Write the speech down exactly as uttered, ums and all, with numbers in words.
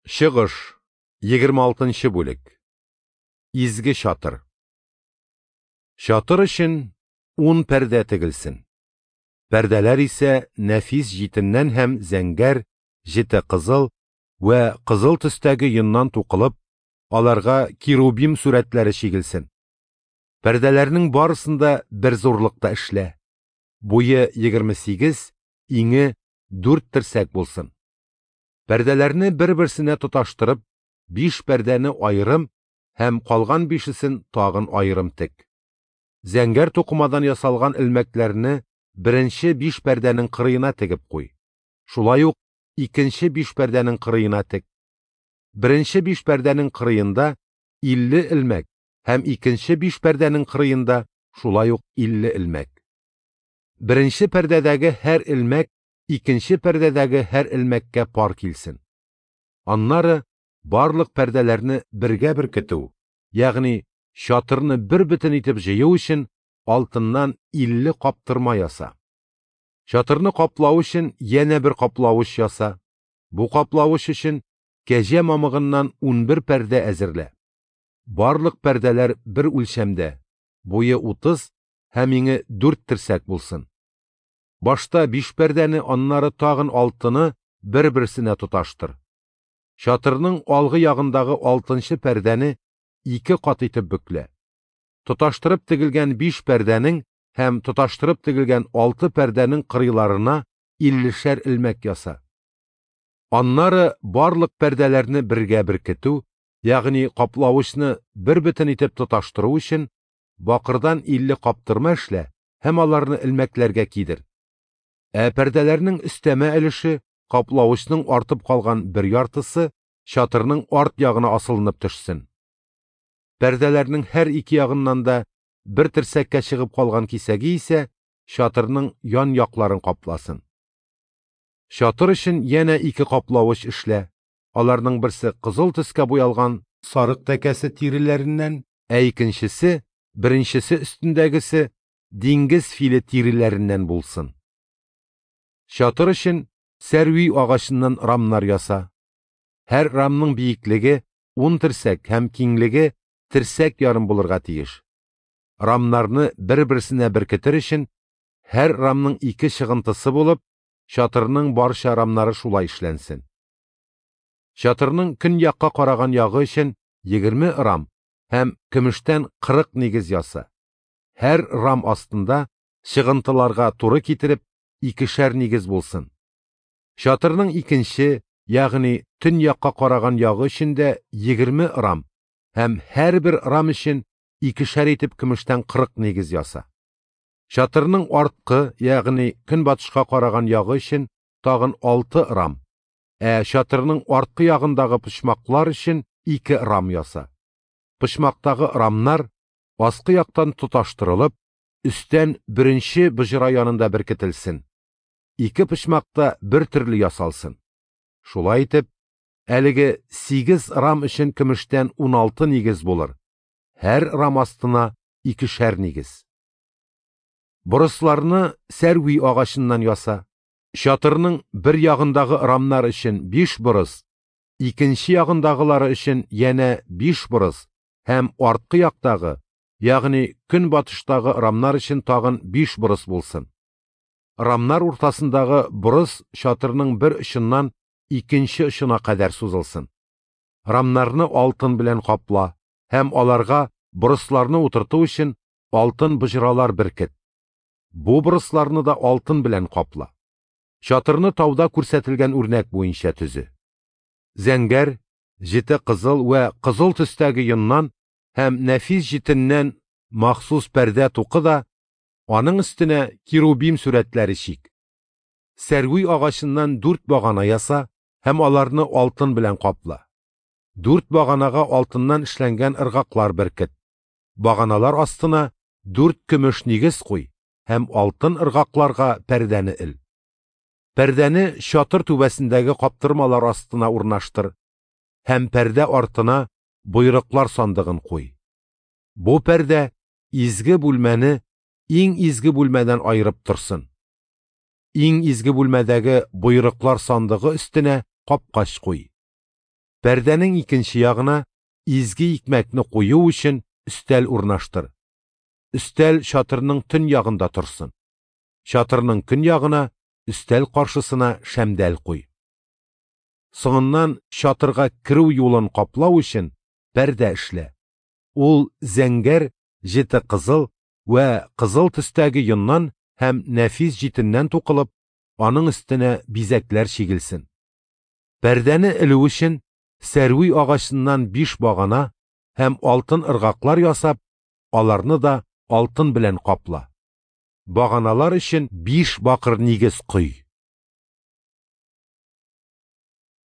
Чыгыш, егерме алтынчы бүлек. Изге чатыр. Чатыр өчен ун пәрдә тегелсен. Пәрдәләр исә нәфис җитеннән һәм зәңгәр, җете кызыл вә кызыл төстәге йоннан тукылып, аларга керубим сурәтләре чигелсен. Пәрдәләрнең барысын да бер зурлыкта эшлә. Буе егерме сигез, иңе дүрт терсәк булсын. Пәрдәләрне бер-берсенә тоташтырып, биш пәрдәне аерым һәм калган бишесен тагын аерым тек. Зәңгәр тукымадан ясалган элмәкләрне беренче биш пәрдәнең кырыена тегеп куй. Шулай ук икенче биш пәрдәнең кырыена тек. Беренче биш пәрдәнең кырыенда илле элмәк һәм икенче биш пәрдәнең кырыенда шулай ук илле элмәк. Беренче пәрдәдәге һәр элмәк икенче пәрдәдәге һәр элмәккә пар килсен. Аннары барлык пәрдәләрне бергә беркетү, ягъни чатырны бер бөтен итеп җыю өчен алтыннан илле каптырма яса. Чатырны каплау өчен янә бер каплавыч яса. Бу каплавыч өчен кәҗә мамыгыннан унбер пәрдә әзерлә. Барлык пәрдәләр бер үлчәмдә, буе утыз һәм иңе дүрт терсәк булсын. Башта биш пәрдәне, аннары тагын алтыны бер-берсенә тоташтыр. Чатырның алгы ягындагы алтынчы пәрдәне ике кат итеп бөклә. Тоташтырып тегелгән биш пәрдәнең һәм тоташтырып тегелгән алты пәрдәнең кырыйларына иллешәр элмәк яса. Аннары барлык пәрдәләрне бергә беркетү, ягъни каплавычны бер бөтен итеп тоташтыру өчен бакырдан илле каптырма эшлә һәм аларны элмәкләргә кидер. Ә пәрдәләрнең өстәмә өлеше, каплавычның артып калган бер яртысы чатырның арт ягына асылынып төшсен. Пәрдәләрнең һәр ике ягыннан да бер терсәккә чыгып калган кисәге исә чатырның ян якларын капласын. Чатыр өчен янә ике каплавыч эшлә. Аларның берсе кызыл төскә буялган сарык тәкәсе тиреләреннән, ә икенчесе, беренчесе өстендәгесе диңгез филе тиреләреннән булсын. Чатыр өчен сәрви агачыннан рамнар яса. Һәр рамның биеклеге ун терсәк һәм киңлеге терсәк ярым булырга тиеш. Рамнарны бер-берсенә беркетер өчен һәр рамның ике чыгынтысы булып, чатырның барча рамнары шулай эшләнсен. Чатырның көньякка караган ягы өчен егерме рам һәм көмештән кырык нигез яса. Һәр рам астында чыгынтыларга туры китереп икешәр нигез булсын. Чатырның икенче, ягъни төньякка караган ягы өчен дә егерме рам һәм һәрбер рам өчен икешәр итеп көмештән кырык нигез яса. Чатырның арткы, ягъни көнбатышка караган ягы өчен тагын алты рам, ә чатырның арткы ягындагы почмаклар өчен ике рам яса. Почмактагы рамнар аскы яктан тоташтырылып, өстән беренче боҗра янында беркетелсен. Ике почмакта бер төрле ясалсын. Шулай итеп, әлеге сигез рам өчен көмештән уналты нигез булыр. Һәр рам астына икешәр нигез. Борысларны сәрви агачыннан яса. Чатырның бер ягындагы рамнар өчен биш борыс, икенче ягындагылары өчен янә биш борыс һәм арткы яктагы, ягъни көнбатыштагы рамнар өчен тагын биш борыс булсын. Рамнар уртасындагы борыс чатырның бер очыннан икенче очына кадәр сузылсын. Рамнарны алтын белән капла һәм аларга борысларны утырту өчен алтын боҗралар беркет. Бу борысларны да алтын белән капла. Чатырны тауда күрсәтелгән үрнәк буенча төзе. Зәңгәр, җете кызыл вә кызыл төстәге йоннан һәм нәфис җитеннән махсус пәрдә тукы да, аның өстенә керубим сурәтләре чик. Сәрви агачыннан дүрт багана яса һәм аларны алтын белән капла. Дүрт баганага алтыннан эшләнгән ыргаклар беркет. Баганалар астына дүрт көмеш нигез куй һәм алтын ыргакларга пәрдәне эл. Пәрдәне чатыр түбәсендәге каптырмалар астына урнаштыр һәм пәрдә артына бойрыклар сандыгын куй. Бу пәрдә изге бүлмәне иң изге бүлмәдән аерып торсын. Иң изге бүлмәдәге бойрыклар сандыгы өстенә капкач куй. Пәрдәнең икенче ягына изге икмәкне кую өчен өстәл урнаштыр. Өстәл чатырның төньягында торсын. Чатырның көньягына, өстәл каршысына шәмдәл куй. Соңыннан чатырга керү юлын каплау өчен пәрдә эшлә. Ул зәңгәр, җете кызыл вә кызыл төстәге йоннан һәм нәфис җитеннән тукылып, аның өстенә бизәкләр чигелсен. Пәрдәне элү өчен сәрви агачыннан биш багана һәм алтын ыргаклар ясап, аларны да алтын белән капла. Баганалар өчен биш бакыр нигез кой.